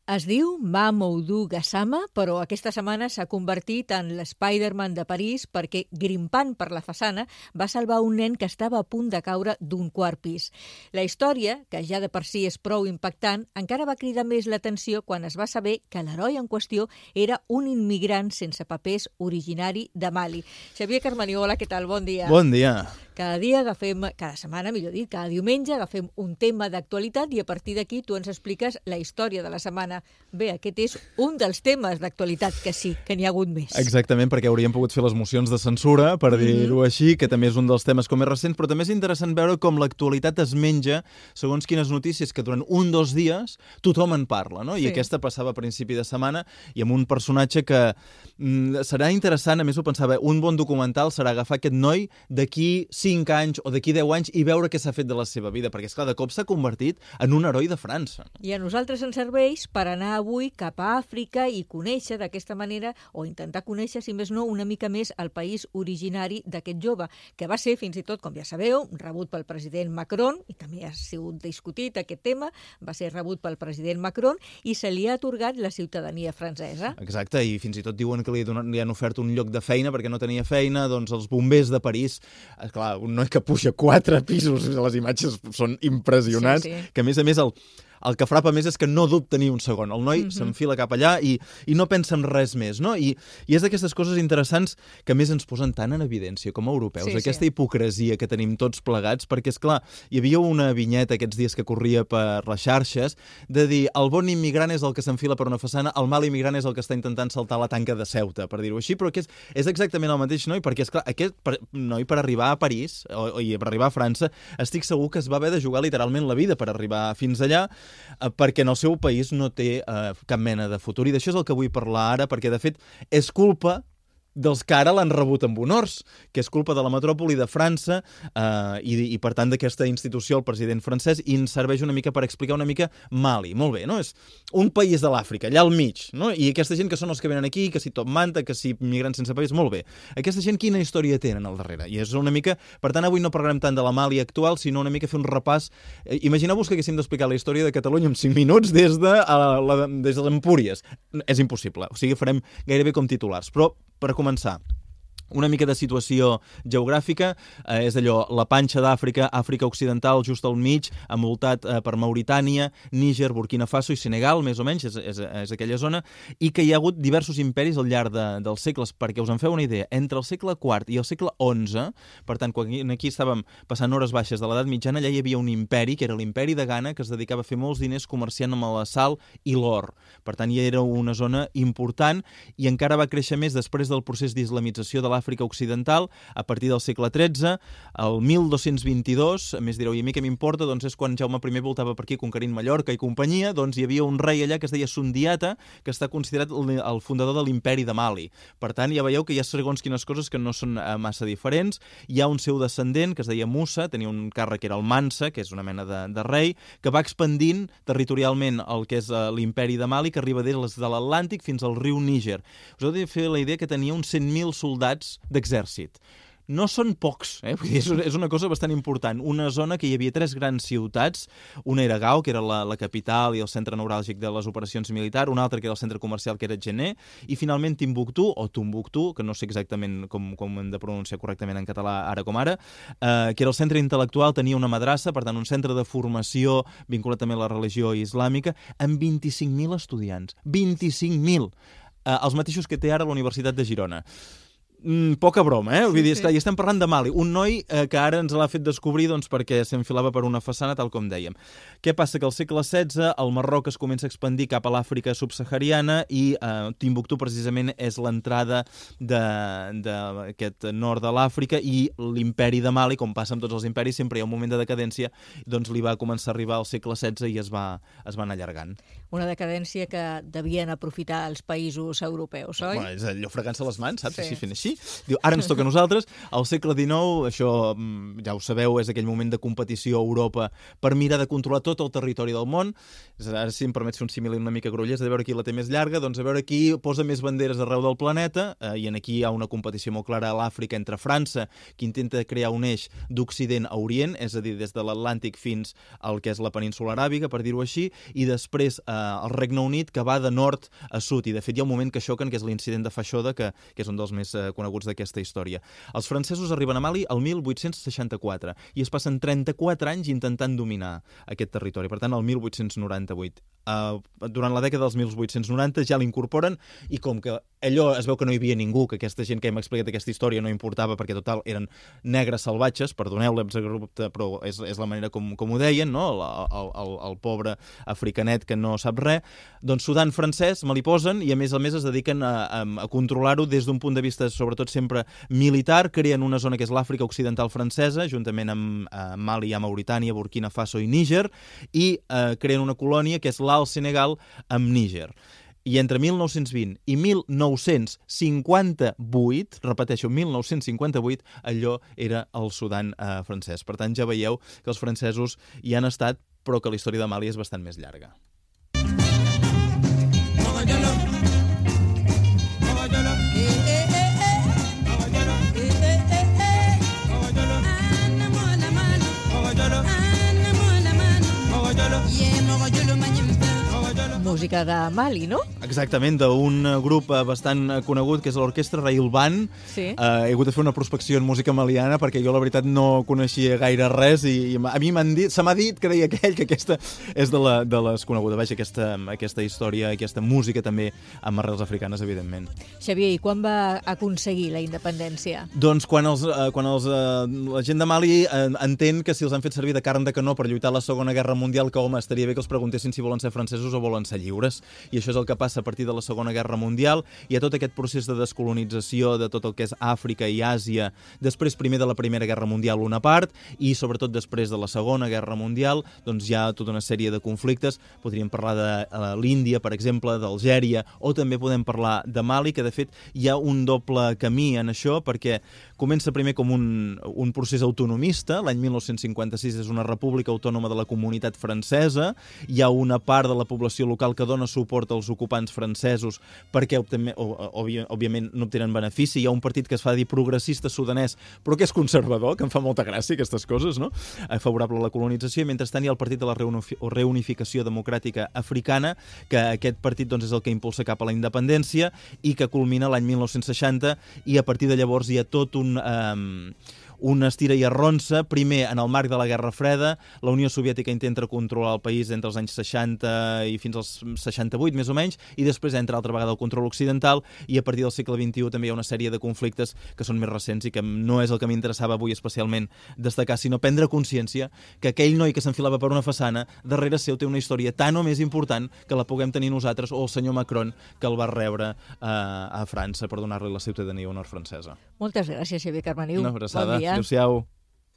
Es diu Mamoudou Gassama, però aquesta setmana s'ha convertit en l'Spider-Man de París perquè, grimpant per la façana, va salvar un nen que estava a punt de caure d'un quart pis. La història, que ja de per si és prou impactant, encara va cridar més l'atenció quan es va saber que l'heroi en qüestió era un immigrant sense papers originari de Mali. Xavier Carmaniola, què tal? Bon dia. Bon dia. Cada dia cada setmana, millor dit, cada diumenge agafem un tema d'actualitat i a partir d'aquí tu ens expliques la història de la setmana. Bé, aquest és un dels temes d'actualitat, que sí, que n'hi ha hagut més. Exactament, perquè hauríem pogut fer les mocions de censura, per dir-ho així, que també és un dels temes com més recents, però també és interessant veure com l'actualitat es menja segons quines notícies que durant 1 o 2 dies tothom en parla, no? I aquesta passava a principi de setmana i amb un personatge que serà interessant, a més ho pensava, un bon documental serà agafar aquest noi d'aquí 5 anys o d'aquí 10 anys i veure què s'ha fet de la seva vida, perquè, esclar, de cop s'ha convertit en un heroi de França. I a nosaltres ens serveix per anar avui cap a Àfrica i conèixer d'aquesta manera, o intentar conèixer, si més no, una mica més el país originari d'aquest jove, que va ser, fins i tot, com ja sabeu, rebut pel president Macron, i també ha sigut discutit aquest tema, va ser rebut pel president Macron i se li ha atorgat la ciutadania francesa. Exacte, i fins i tot diuen que li han ofert un lloc de feina perquè no tenia feina, doncs els bombers de París, clar, un noi que puja 4 pisos, les imatges són impressionants, que a més el que frapa més és que no dubta ni un segon. El noi s'enfila cap allà i no pensa en res més, no? I és d'aquestes coses interessants que més ens posen tant en evidència com a europeus, aquesta hipocresia que tenim tots plegats, perquè, esclar, hi havia una vinyeta aquests dies que corria per les xarxes de dir el bon immigrant és el que s'enfila per una façana, el mal immigrant és el que està intentant saltar la tanca de Ceuta, per dir-ho així, però que és exactament el mateix noi, perquè, esclar, aquest noi per arribar a París i per arribar a França, estic segur que es va haver de jugar literalment la vida per arribar fins allà, perquè en el seu país no té cap mena de futur. I d'això és el que vull parlar ara, perquè, de fet, és culpa dels que ara l'han rebut amb honors, que és culpa de la metròpoli de França i per tant, d'aquesta institució, el president francès, i ens serveix una mica per explicar una mica Mali. Molt bé, no? És un país de l'Àfrica, allà al mig, no? I aquesta gent que són els que venen aquí, que si Top Manta, que si migrants sense papers, molt bé. Aquesta gent quina història tenen al darrere? I és una mica... Per tant, avui no parlarem tant de la Mali actual, sinó una mica fer un repàs. Imagineu-vos que haguéssim d'explicar la història de Catalunya en 5 minuts des de l'Empúries. És impossible. O sigui, farem gairebé com titulars. Però, per començar, una mica de situació geogràfica, és allò, la panxa d'Àfrica, Àfrica Occidental, just al mig, envoltat per Mauritània, Níger, Burkina Faso i Senegal, més o menys, és aquella zona, i que hi ha hagut diversos imperis al llarg dels segles, perquè us en feu una idea, entre el segle IV i el segle XI, per tant, quan aquí estàvem passant hores baixes de l'edat mitjana, allà hi havia un imperi, que era l'imperi de Ghana, que es dedicava a fer molts diners comerciant amb la sal i l'or. Per tant, ja era una zona important i encara va créixer més després del procés d'islamització de l'Àfrica Occidental, a partir del segle XIII, el 1222, a més direu, i a mi què m'importa, doncs és quan Jaume I voltava per aquí conquerint Mallorca i companyia, doncs hi havia un rei allà que es deia Sundiata, que està considerat el fundador de l'imperi de Mali. Per tant, ja veieu que hi ha segons quines coses que no són massa diferents. Hi ha un seu descendent, que es deia Musa, tenia un càrrec que era el Mansa, que és una mena de rei, que va expandint territorialment el que és l'imperi de Mali, que arriba des de l'Atlàntic fins al riu Níger. Us heu de fer la idea que tenia uns 100.000 soldats d'exèrcit. No són pocs, Vull dir, és una cosa bastant important. Una zona que hi havia 3 grans ciutats, una era Gao, que era la capital i el centre neuràlgic de les operacions militars, una altra que era el centre comercial, que era Djenné, i finalment Timbuktu, o Tombouctou, que no sé exactament com hem de pronunciar correctament en català ara com ara, que era el centre intel·lectual, tenia una madrassa, per tant un centre de formació vinculat també a la religió islàmica, amb 25.000 estudiants. 25.000! Els mateixos que té ara la Universitat de Girona. Poca broma, Vull dir, esclar, i estem parlant de Mali, un noi que ara ens l'ha fet descobrir doncs, perquè s'enfilava per una façana, tal com dèiem. Què passa? Que al segle XVI el Marroc es comença a expandir cap a l'Àfrica subsahariana i Timbuktu precisament és l'entrada d'aquest nord de l'Àfrica i l'imperi de Mali, com passa amb tots els imperis, sempre hi ha un moment de decadència, doncs li va començar a arribar al segle XVI i es va anar allargant. Una decadència que devien aprofitar els països europeus, oi? Bueno, és allò fregant-se les mans, saps? Així fent així, diu, ara ens toca a nosaltres. Al segle XIX, això ja ho sabeu, és aquell moment de competició a Europa per mirar de controlar tot el territori del món. Ara, si em permets fer un símil una mica grollers, de veure qui la té més llarga, doncs a veure qui posa més banderes arreu del planeta, i aquí hi ha una competició molt clara a l'Àfrica entre França, que intenta crear un eix d'Occident a Orient, és a dir, des de l'Atlàntic fins al que és la península aràbiga, per dir-ho així, i després el Regne Unit, que va de nord a sud, i de fet hi ha un moment que xoquen, que és l'incident de Fashoda, que és un dels més coneguts d'aquesta història. Els francesos arriben a Mali el 1864 i es passen 34 anys intentant dominar aquest territori, per tant, el 1898. Durant la dècada dels 1890 ja l'incorporen i com que allò es veu que no hi havia ningú, que aquesta gent que hem explicat aquesta història no importava perquè total eren negres salvatges, perdoneu l'exabrupte, però és la manera com ho deien, no? El pobre africanet que no sap res, doncs Sudan francès me li posen i a més es dediquen a controlar-ho des d'un punt de vista sobretot sempre militar, creen una zona que és l'Àfrica Occidental francesa, juntament amb Mali, Mauritània, Burkina Faso i Níger, i creen una colònia que és l'Alt Senegal amb Níger. I entre 1920 i 1958, repeteixo, 1958, allò era el Sudan francès. Per tant, ja veieu que els francesos hi han estat, però que la història de Mali és bastant més llarga. Música de Mali, no? Exactament, d'un grup bastant conegut, que és l'Orquestra Railband. Sí. He hagut de fer una prospecció en música maliana perquè jo, la veritat, no coneixia gaire res i a mi se m'ha dit que deia aquell que aquesta és de les conegudes. Vaja, aquesta història, aquesta música també amb arrels africanes, evidentment. Xavier, i quan va aconseguir la independència? Doncs quan la gent de Mali entén que si els han fet servir de carn de canó per lluitar a la Segona Guerra Mundial, que, home, estaria bé que els preguntessin si volen ser francesos o volen ser lliures. I això és el que passa a partir de la Segona Guerra Mundial. Hi ha tot aquest procés de descolonització de tot el que és Àfrica i Àsia, després primer de la Primera Guerra Mundial una part, i sobretot després de la Segona Guerra Mundial, doncs hi ha tota una sèrie de conflictes. Podríem parlar de l'Índia, per exemple, d'Algèria, o també podem parlar de Mali, que de fet hi ha un doble camí en això, perquè comença primer com un procés autonomista. L'any 1956 és una república autònoma de la Comunitat Francesa. Hi ha una part de la població local que dona suport als ocupants francesos perquè, òbviament, no obtenen benefici. Hi ha un partit que es fa dir progressista sudanès, però que és conservador, que em fa molta gràcia aquestes coses, no? Favorable a la colonització, i mentrestant hi ha el Partit de la Reunificació Democràtica Africana, que aquest partit doncs, és el que impulsa cap a la independència i que culmina l'any 1960, i a partir de llavors hi ha tot un estira i arronsa. Primer, en el marc de la Guerra Freda, la Unió Soviètica intenta controlar el país entre els anys 60 i fins als 68, més o menys, i després entra altra vegada el control occidental, i a partir del segle XXI també hi ha una sèrie de conflictes que són més recents i que no és el que m'interessava avui especialment destacar, sinó prendre consciència que aquell noi que s'enfilava per una façana, darrere seu té una història tan o més important que la puguem tenir nosaltres, o el senyor Macron, que el va rebre a França per donar-li la ciutadania honor francesa. Moltes gràcies, Xavier Carmeniu. Una abraçada. Bon dia. Adéu-siau.